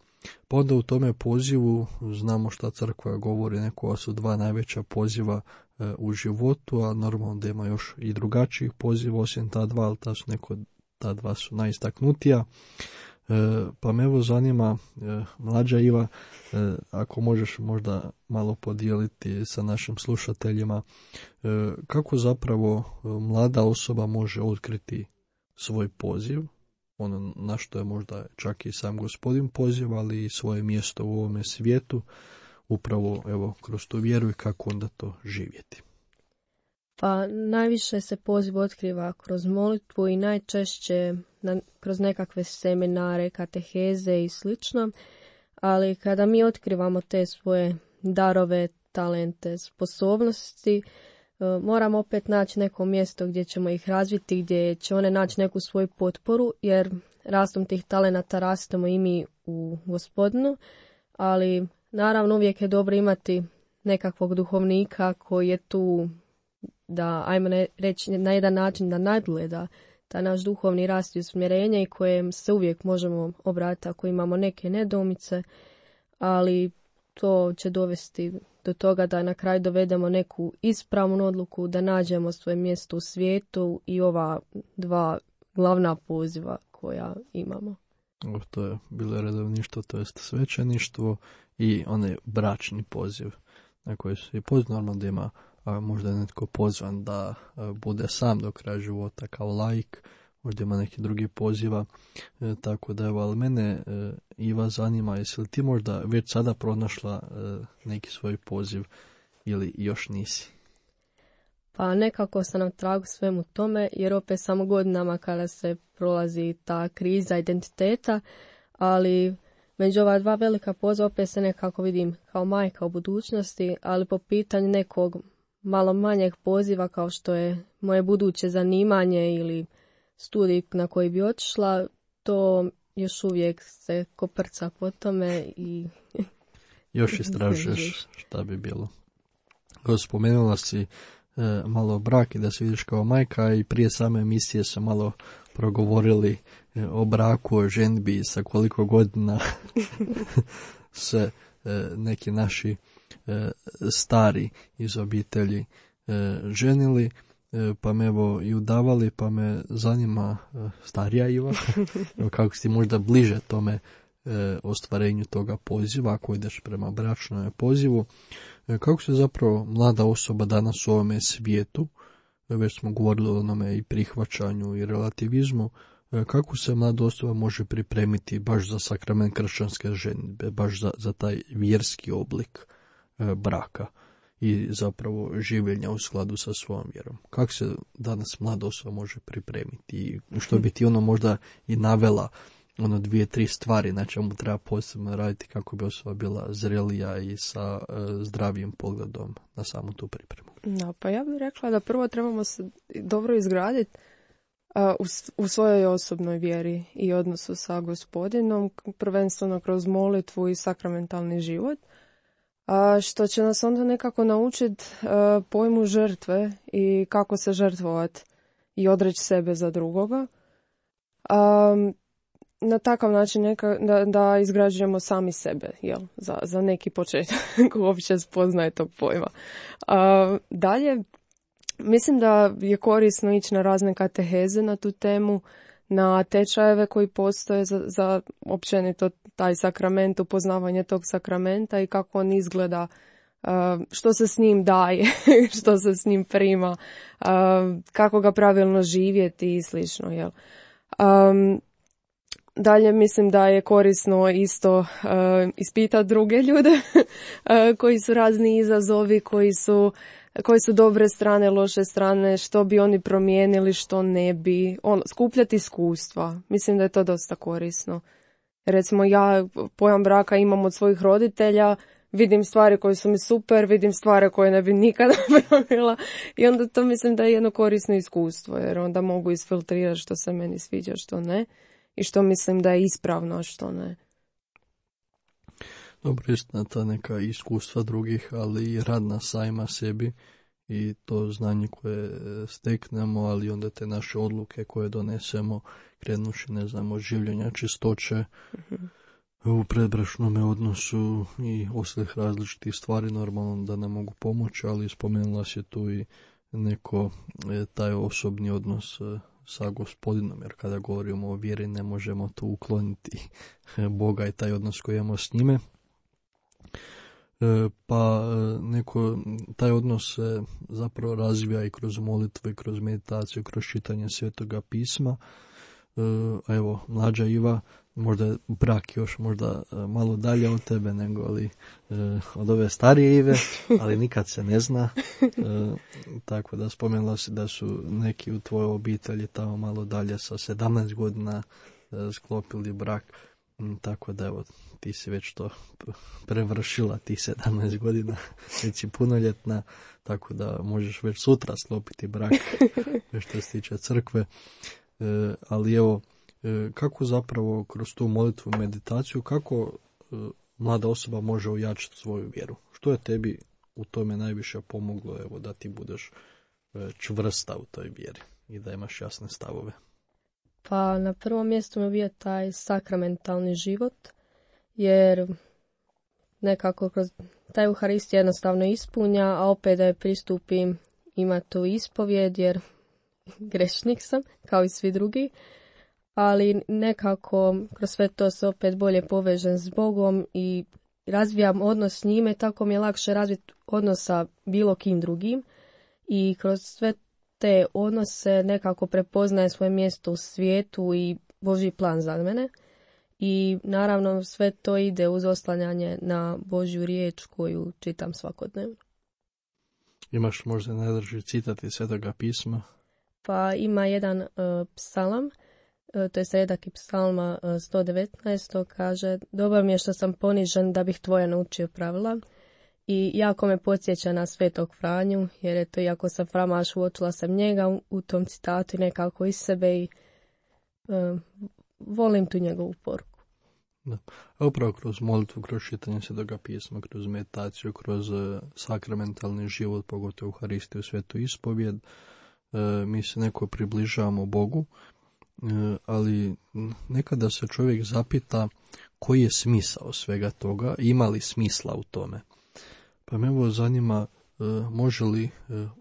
Pa onda u tome pozivu znamo šta crkva govori, neko su dva najveća poziva u životu, a normalno da ima još i drugačijih poziva osim ta dva, ali ta dva su najistaknutija. Pa me evo zanima, mlađa Iva, ako možeš možda malo podijeliti sa našim slušateljima, kako zapravo mlada osoba može otkriti svoj poziv, ono na što je možda čak i sam Gospodin poziv, ali i svoje mjesto u ovome svijetu, upravo evo kroz tu vjeru i kako onda to živjeti. Pa najviše se poziv otkriva kroz molitvu i najčešće kroz nekakve seminare, kateheze i slično, ali kada mi otkrivamo te svoje darove, talente, sposobnosti, moramo opet naći neko mjesto gdje ćemo ih razviti, gdje će one naći neku svoju potporu, jer rastom tih talenata rastemo i mi u Gospodinu, ali naravno uvijek je dobro imati nekakvog duhovnika koji je tu da, ajmo reći, na jedan način da nadgleda taj naš duhovni rast i usmjerenje i kojem se uvijek možemo obratiti ako imamo neke nedoumice, ali to će dovesti do toga da na kraju dovedemo neku ispravnu odluku, da nađemo svoje mjesto u svijetu i ova dva glavna poziva koja imamo. To je bilo redovništvo, to jest svećeništvo i onaj bračni poziv na koji se i poziv normalno da ima možda je netko pozvan da bude sam do kraja života kao laik, možda ima neki drugi poziva, tako da evo, ali mene Iva zanima, jesi li ti možda već sada pronašla neki svoj poziv ili još nisi? Pa nekako sam na tragu svemu tome, jer opet samo godinama kada se prolazi ta kriza identiteta, ali među ova dva velika poziva opet se nekako vidim kao majka u budućnosti, ali po pitanju nekog malo manjeg poziva kao što je moje buduće zanimanje ili studij na koji bi otišla, to još uvijek se koprca po tome i još istražuješ šta bi bilo. Spomenula si malo brak i da se vidiš kao majka i prije same emisije su malo progovorili o braku, o ženbi, sa koliko godina se neki naši stari iz obitelji ženili, pa me evo i udavali, pa me zanima starija Iva, kako si možda bliže tome ostvarenju toga poziva, ako ideš prema bračnom pozivu, kako se zapravo mlada osoba danas u ovome svijetu, već smo govorili o onome i prihvaćanju i relativizmu, kako se mlada osoba može pripremiti baš za sakrament kršćanske ženidbe, baš za taj vjerski oblik braka i zapravo življenja u skladu sa svojom vjerom. Kako se danas mlada osoba može pripremiti i što bi ti ono možda i navela 2-3 stvari na čemu treba posebno raditi kako bi osoba bila zrelija i sa zdravijim pogledom na samu tu pripremu. No, pa ja bih rekla da prvo trebamo se dobro izgraditi u svojoj osobnoj vjeri i odnosu sa Gospodinom, prvenstveno kroz molitvu i sakramentalni život, što će nas onda nekako naučiti pojmu žrtve i kako se žrtvovati i odreći sebe za drugoga. Na takav način da izgrađujemo sami sebe, za neki početak uopće spoznaje tog pojma. Dalje, mislim da je korisno ići na razne kateheze na tu temu, na tečajeve koji postoje za općenito taj sakrament, upoznavanje tog sakramenta i kako on izgleda, što se s njim daje, što se s njim prima, kako ga pravilno živjeti i slično. Jel? Dalje mislim da je korisno isto ispitati druge ljude koji su razni izazovi, koji su dobre strane, loše strane, što bi oni promijenili, što ne bi. Skupljati iskustva. Mislim da je to dosta korisno. Recimo ja pojam braka imam od svojih roditelja, vidim stvari koje su mi super, vidim stvari koje ne bi nikada napravila i onda to mislim da je jedno korisno iskustvo, jer onda mogu isfiltrirati što se meni sviđa, što ne i što mislim da je ispravno, a što ne. Dobro, istina ta neka iskustva drugih, ali i rad na sajma sebi i to znanje koje steknemo, ali onda te naše odluke koje donesemo, krenuši, ne znam, od življenja, čistoće, u predbračnome odnosu i ostalih različitih stvari, normalno da nam mogu pomoći, ali spomenula se tu i neko taj osobni odnos sa Gospodinom, jer kada govorimo o vjeri ne možemo tu ukloniti Boga i taj odnos koji imamo s njime. Pa taj odnos se zapravo razvija i kroz molitvu i kroz meditaciju, kroz čitanje Svetoga pisma. A evo, mlađa Iva, možda je brak još možda malo dalje od tebe nego ali od ove starije Ive, ali nikad se ne zna. Tako da spomenula si da su neki u tvojoj obitelji tamo malo dalje sa 17 godina sklopili brak. Tako da evo, ti si već to prevršila, ti 17 godina, već si punoljetna, tako da možeš već sutra sklopiti brak što se tiče crkve. Ali evo, kako zapravo kroz tu molitvu i meditaciju, kako mlada osoba može ojačati svoju vjeru? Što je tebi u tome najviše pomoglo, evo, da ti budeš čvrsta u toj vjeri i da imaš jasne stavove? Pa na prvom mjestu mi je bio taj sakramentalni život, jer nekako kroz taj Euharistija jednostavno ispunja, a opet da je pristupim ima tu ispovjed, jer grešnik sam, kao i svi drugi, ali nekako kroz sve to se opet bolje povežem s Bogom i razvijam odnos s njime, tako mi je lakše razviti odnos sa bilo kim drugim i kroz sve te odnose nekako prepoznaje svoje mjesto u svijetu i Božji plan za mene. I naravno sve to ide uz oslanjanje na Božju riječ koju čitam svakodnevno. Imaš možda najdraži citat iz Svetoga pisma? Pa ima jedan psalam, to je redaki psalma 119, kaže: Dobro mi je što sam ponižen da bih tvoje naučio pravila. I jako me podsjeća na Svetog Franju, jer je to, iako sam framaš, uočila sam njega u tom citatu i nekako iz sebe i volim tu njegovu poruku. Da. A upravo kroz molitvu, kroz čitanje Svetoga pisma, kroz meditaciju, kroz sakramentalni život, pogotovo u Euharistiju, Svetu ispovjed, mi se neko približavamo Bogu, ali nekada se čovjek zapita koji je smisao svega toga, ima li smisla u tome. Pa me evo zanima, može li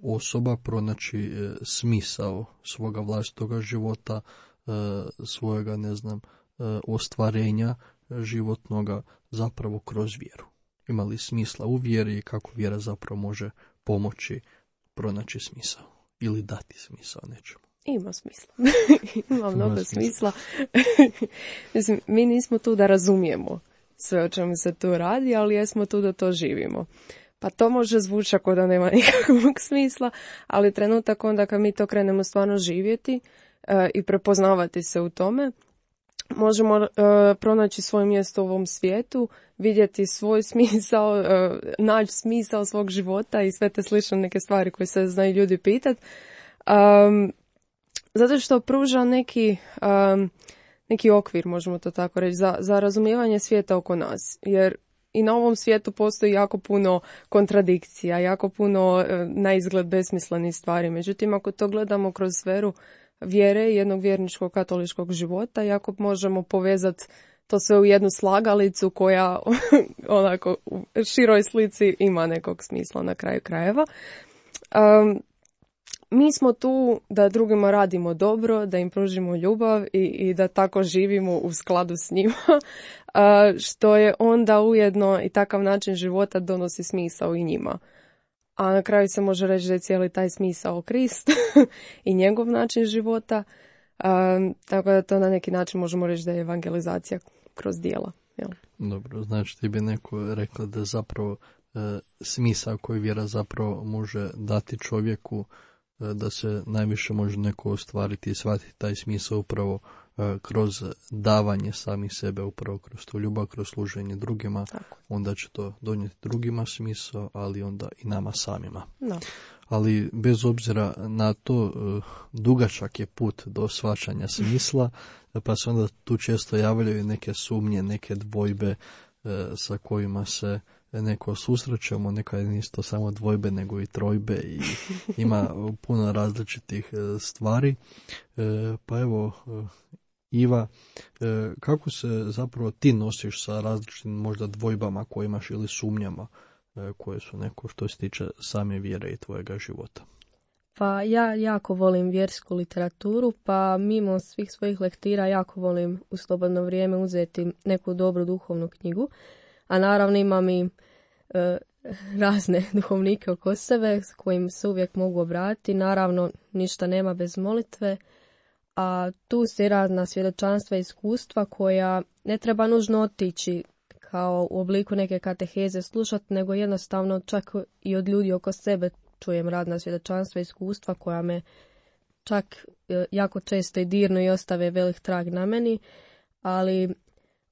osoba pronaći smisao svoga vlastitoga života, svojega, ne znam, ostvarenja životnoga zapravo kroz vjeru. Ima li smisla u vjeri i kako vjera zapravo može pomoći pronaći smisao ili dati smisao nečemu? Ima smisla. Ima mnogo smisla. Mislim, mi nismo tu da razumijemo sve o čemu se tu radi, ali jesmo tu da to živimo. Pa to može zvuči ako da nema nikakvog smisla, ali trenutak onda kad mi to krenemo stvarno živjeti i prepoznavati se u tome, možemo pronaći svoje mjesto u ovom svijetu, vidjeti svoj smisao, naći smisao svog života i sve te slične neke stvari koje se znaju ljudi pitati. Zato što pruža neki okvir, možemo to tako reći, za razumijevanje svijeta oko nas. Jer i na ovom svijetu postoji jako puno kontradikcija, jako puno na izgled besmislenih stvari. Međutim, ako to gledamo kroz sferu vjere i jednog vjerničkog katoličkog života, jako možemo povezati to sve u jednu slagalicu koja onako u široj slici ima nekog smisla na kraju krajeva. Mi smo tu da drugima radimo dobro, da im pružimo ljubav i da tako živimo u skladu s njima, što je onda ujedno i takav način života donosi smisao i njima. A na kraju se može reći da je cijeli taj smisao Krist i njegov način života, tako da to na neki način možemo reći da je evangelizacija kroz djela. Jel? Dobro, znači ti bi neko rekla da zapravo smisao koji vjera zapravo može dati čovjeku, da se najviše može neko ostvariti i shvatiti taj smisao upravo kroz davanje sami sebe, upravo kroz tu ljubav, kroz služenje drugima. Tako. Onda će to donijeti drugima smisao, ali onda i nama samima. No. Ali bez obzira na to, dugačak je put do shvaćanja smisla, pa se onda tu često javljaju neke sumnje, neke dvojbe sa kojima se neko susrećemo, nekad nisu to samo dvojbe nego i trojbe i ima puno različitih stvari. Pa evo, Iva, kako se zapravo ti nosiš sa različitim možda dvojbama koje imaš ili sumnjama koje su neko što se tiče same vjere i tvojega života? Pa ja jako volim vjersku literaturu, pa mimo svih svojih lektira jako volim u slobodno vrijeme uzeti neku dobru duhovnu knjigu, a naravno imam i razne duhovnike oko sebe s kojim se uvijek mogu obratiti. Naravno, ništa nema bez molitve, a tu se razna svjedočanstva i iskustva koja ne treba nužno otići kao u obliku neke kateheze slušati, nego jednostavno čak i od ljudi oko sebe čujem razna svjedočanstva i iskustva koja me čak jako često i dirnu i ostave velik trag na meni, ali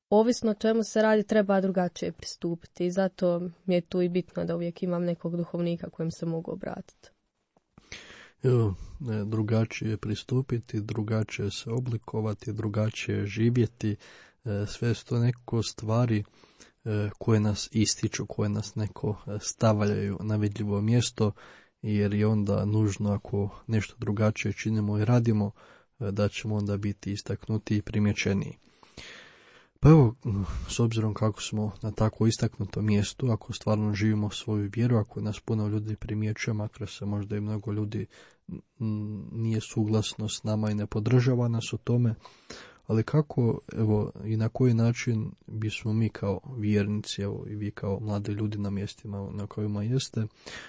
ovisno o čemu se radi treba drugačije pristupiti i zato mi je tu i bitno da uvijek imam nekog duhovnika kojem se mogu obratiti. Drugačije pristupiti, drugačije se oblikovati, drugačije živjeti, sve su to neko stvari koje nas ističu, koje nas neko stavljaju na vidljivo mjesto, jer je onda nužno ako nešto drugačije činimo i radimo, da ćemo onda biti istaknuti i primjećeniji. Pa evo, s obzirom kako smo na tako istaknutom mjestu, ako stvarno živimo svoju vjeru, ako nas puno ljudi primjećuje, makar se možda i mnogo ljudi nije suglasno s nama i ne podržava nas u tome, ali kako, evo, i na koji način bismo mi kao vjernici, evo, i vi kao mladi ljudi na mjestima na kojima jeste,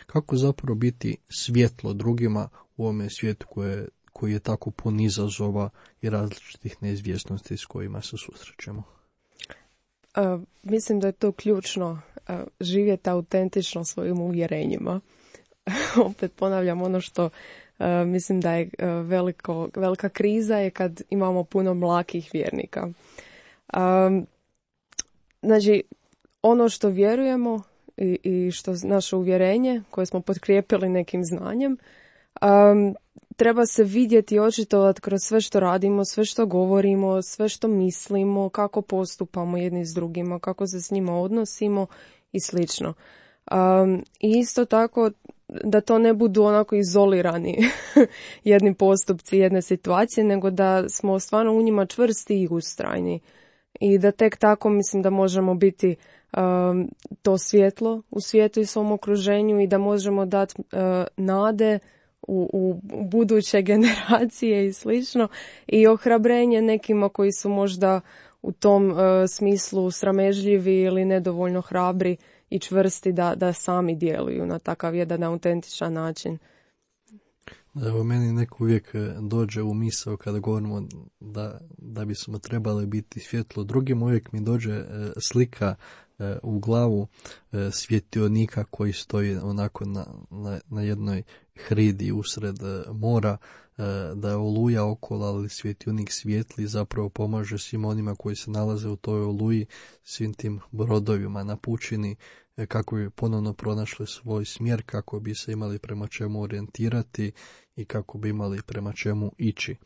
kako zapravo biti svjetlo drugima u ovome svijetu koji je tako pun izazova i različitih neizvjesnosti s kojima se susrećemo? Mislim da je to ključno, živjeti autentično svojim uvjerenjima. Opet ponavljam ono što mislim da je velika kriza je kad imamo puno mlakih vjernika. Znači, ono što vjerujemo i što naše uvjerenje koje smo potkrijepili nekim znanjem, treba se vidjeti i očitovati kroz sve što radimo, sve što govorimo, sve što mislimo, kako postupamo jedni s drugima, kako se s njima odnosimo i slično. I isto tako da to ne budu onako izolirani jedni postupci, jedne situacije, nego da smo stvarno u njima čvrsti i ustrajni. I da tek tako mislim da možemo biti to svjetlo u svijetu i svom okruženju i da možemo dati nade u buduće generacije i slično i ohrabrenje nekima koji su možda u tom smislu sramežljivi ili nedovoljno hrabri i čvrsti da sami djeluju na takav jedan autentičan način. Evo, meni neko uvijek dođe u misao kada govorimo da bismo trebali biti svjetlo drugim, uvijek mi dođe slika u glavu svjetionika koji stoji onako na jednoj hridi usred mora, da je oluja okolo, ali svjetionik svijetli zapravo pomaže svim onima koji se nalaze u toj oluji, svim tim brodovima na pučini, kako bi ponovno pronašli svoj smjer, kako bi se imali prema čemu orijentirati i kako bi imali prema čemu ići.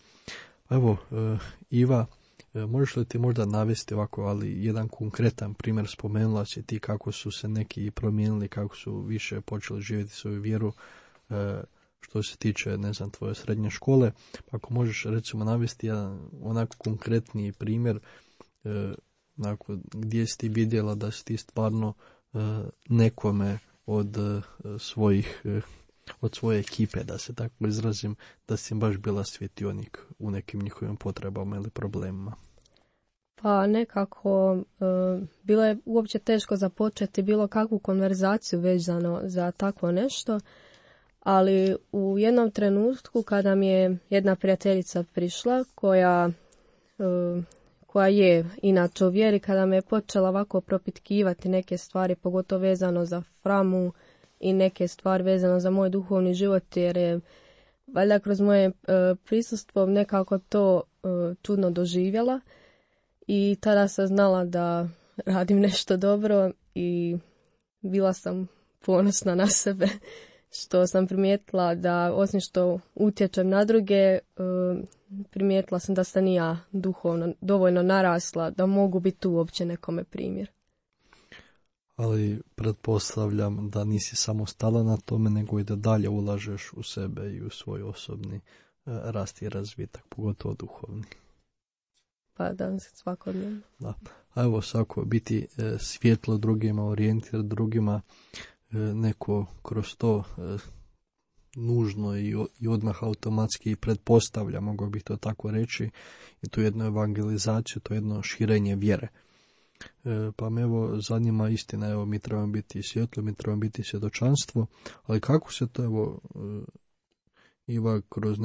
Evo, Iva, možeš li ti možda navesti ovako, ali jedan konkretan primjer, spomenula si ti kako su se neki promijenili, kako su više počeli živjeti svoju vjeru, što se tiče, ne znam, tvoje srednje škole. Ako možeš recimo navesti jedan onako konkretniji primjer, onako, gdje si ti vidjela da si ti stvarno nekome od svoje ekipe, da se tako izrazim, da si im baš bila svjetionik u nekim njihovim potrebama ili problemima? Pa nekako bilo je uopće teško započeti bilo kakvu konverzaciju vezano za takvo nešto, ali u jednom trenutku kada mi je jedna prijateljica prišla koja je inače u vjeri, kada me je počela ovako propitkivati neke stvari, pogotovo vezano za Framu i neke stvari vezano za moj duhovni život, jer je valjda kroz moje prisustvo nekako to čudno doživjela i tada sam znala da radim nešto dobro i bila sam ponosna na sebe što sam primijetila da osim što utječem na druge, primijetila sam da sam i ja duhovno dovoljno narasla da mogu biti uopće nekome primjer. Ali pretpostavljam da nisi samo stala na tome, nego i da dalje ulažeš u sebe i u svoj osobni rast i razvitak, pogotovo duhovni. Pa da, svakodnevno. Da. A evo, svako biti svjetlo drugima, orijentir drugima, neko kroz to nužno i odmah automatski pretpostavlja, mogu bih to tako reći, i tu jednu evangelizaciju, to jedno širenje vjere. Pa me evo zanima istina, evo mi trebamo biti svjetlo, mi trebamo biti svjedočanstvo, ali kako se to evo Iva kroz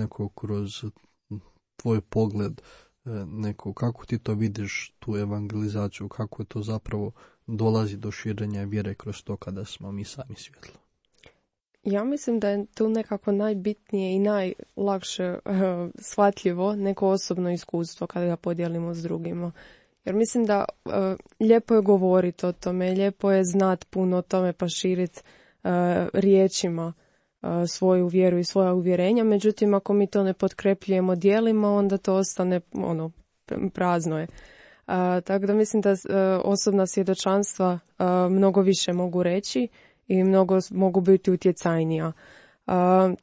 tvoj pogled kako ti to vidiš, tu evangelizaciju, kako to zapravo dolazi do širenja vjere kroz to kada smo mi sami svjetlo? Ja mislim da je tu nekako najbitnije i najlakše shvatljivo neko osobno iskustvo kada ga podijelimo s drugima. Jer mislim da lijepo je govoriti o tome, lijepo je znati puno o tome pa širiti riječima svoju vjeru i svoja uvjerenja. Međutim, ako mi to ne potkrepljujemo djelima, onda to ostane prazno je. Tako da mislim da osobna svjedočanstva mnogo više mogu reći i mnogo mogu biti utjecajnija.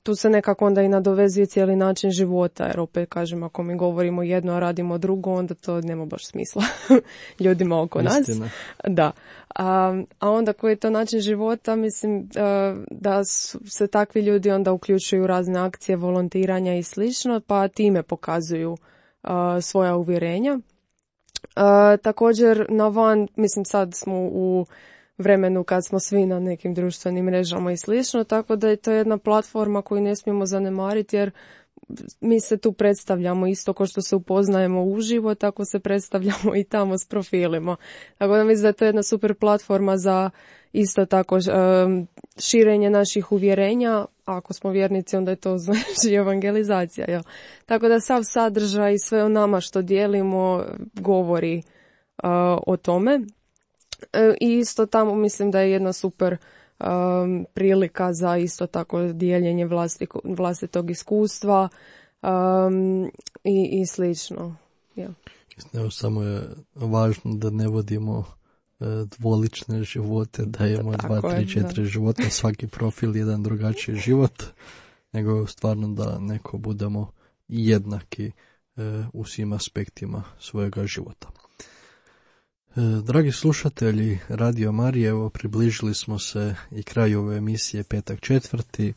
Tu se nekako onda i nadovezuje cijeli način života, jer opet kažem, ako mi govorimo jedno, a radimo drugo, onda to nema baš smisla ljudima oko nas. Da. A onda koji je to način života, mislim da se takvi ljudi onda uključuju u razne akcije, volontiranja i slično, pa time pokazuju svoja uvjerenja. Također na van, mislim sad smo u vremenu kad smo svi na nekim društvenim mrežama i slično, tako da je to jedna platforma koju ne smijemo zanemariti, jer mi se tu predstavljamo isto kao što se upoznajemo uživo, tako se predstavljamo i tamo s profilima. Tako da mislim da je to jedna super platforma za isto tako širenje naših uvjerenja. Ako smo vjernici, onda je to znači evangelizacija. Jel? Tako da sav sadržaj i sve o nama što dijelimo govori o tome. I isto tamo mislim da je jedna super prilika za isto tako dijeljenje vlastitog iskustva i slično. Ja. Evo, samo je važno da ne vodimo dvolične živote, da imamo 2, 3, 4 života, svaki profil jedan drugačiji život, nego stvarno da neko budemo jednaki u svim aspektima svojega života. Dragi slušatelji Radio Marije, evo približili smo se i kraju ove emisije Petak 4.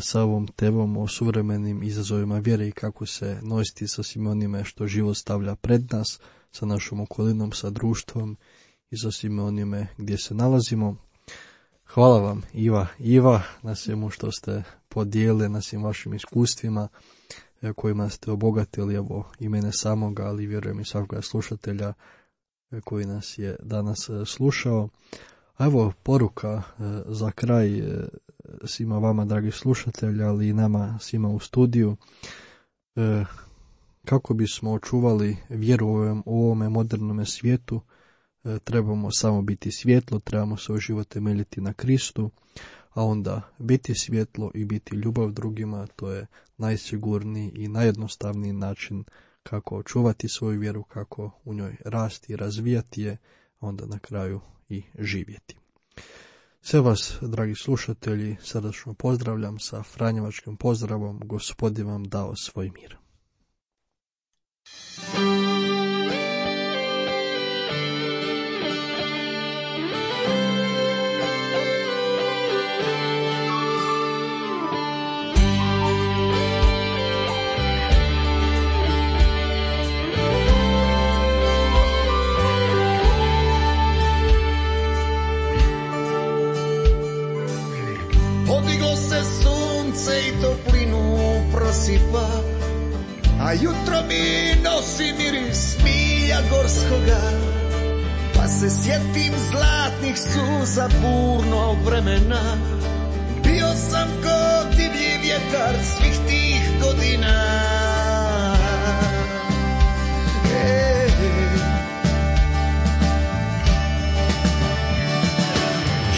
Sa ovom temom o suvremenim izazovima vjere i kako se nositi sa svim onime što život stavlja pred nas, sa našom okolinom, sa društvom i sa svime onime gdje se nalazimo. Hvala vam Iva na svemu što ste podijelili, na svim vašim iskustvima kojima ste obogatili evo i mene samoga, ali vjerujem i svakoga slušatelja koji nas je danas slušao. A evo poruka za kraj, svima vama, dragi slušatelji, ali i nama svima u studiju. Kako bismo očuvali vjeru u ovome modernome svijetu, trebamo samo biti svjetlo, trebamo svoj život temeljiti na Kristu, a onda biti svjetlo i biti ljubav drugima, to je najsigurniji i najjednostavniji način kako očuvati svoju vjeru, kako u njoj rasti i razvijati je, a onda na kraju i živjeti. Sve vas, dragi slušatelji, srdačno pozdravljam sa franjevačkim pozdravom, Gospod je vam dao svoj mir. Podiglo se sunce i toplinu prosipa, a jutro mi nosi miris milja gorskoga. Pa se sjetim zlatnih suza burnog vremena, bio sam ko divlji vjetar svih tih godina.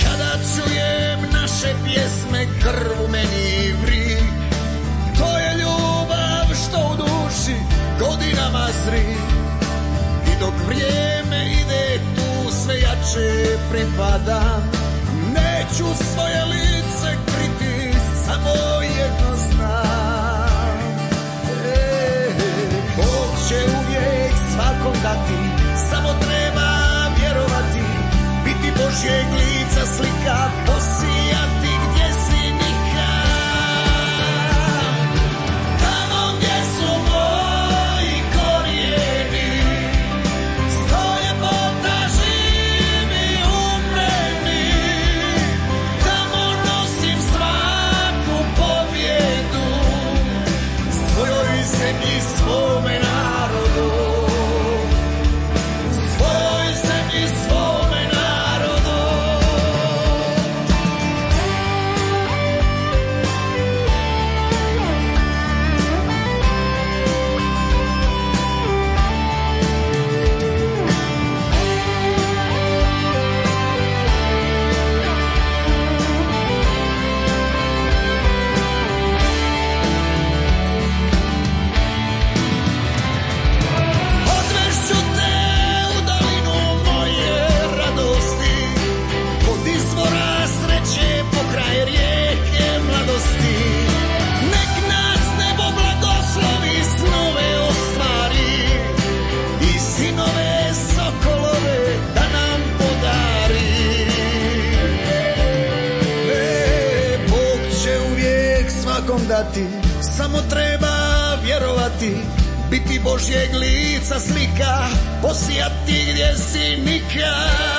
Kada čujem naše pjesme, krv u meni vri, to je ljubav što u duši godinama zri. I dok vrijeme ide, tu sve jače pripadam, neću svoje lice kriti, samo jedno znam. Bog će uvijek svakom dati, samo treba vjerovati, biti Božjeg lica slika, posijati gdje si nikad. Tamo gdje su moji korijeni, stoje Bota živi umreni. Tamo nosim svaku pobjedu, svojoj zemlji, svome narodu. Svojoj zemlji, svome narodu. Odvešću te u dolinu moje radosti, kod izvora sreće pokraj rijeke mladosti. Nek nas nebo blagoslovi, snove ostvari i sinove sokolove da nam podari. Bog će uvijek svakom dati, samo treba vjerovati, biti Božjeg lica slika, posijati gdje si nikad.